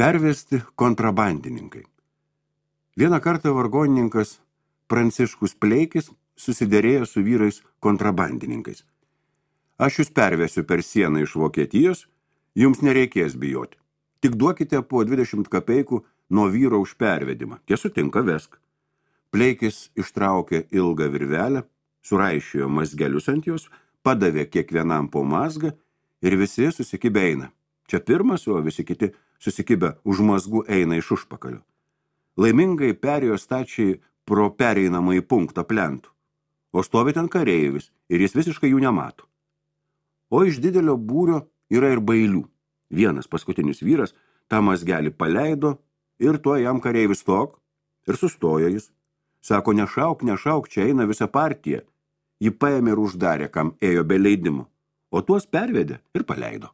Pervesti kontrabandininkai. Vieną kartą vargonininkas Pranciškus Pleikis susiderėjo su vyrais kontrabandininkais. Aš jūs pervesiu per sieną iš Vokietijos, jums nereikės bijoti. Tik duokite po 20 kapeikų nuo vyro už pervedimą. Tie sutinka, vesk. Pleikis ištraukė ilgą virvelę, suraišiojo mazgelius ant jos, padavė kiekvienam po mazgą ir visi susikibę eina. Čia pirmas, o visi kiti susikibę už mazgų eina iš užpakalio. Laimingai perėjo stačiai pro pereinamąjį punktą plentų, o stovi ten kareivis ir jis visiškai jų nemato. O iš didelio būrio yra ir bailių. Vienas paskutinis vyras tą mazgelį paleido ir tuo jam kareivis stok ir sustojo jis. Sako, nešauk, čia eina visa partija. Ji paėmė ir uždarė, kam ėjo be leidimo, o tuos pervedė ir paleido.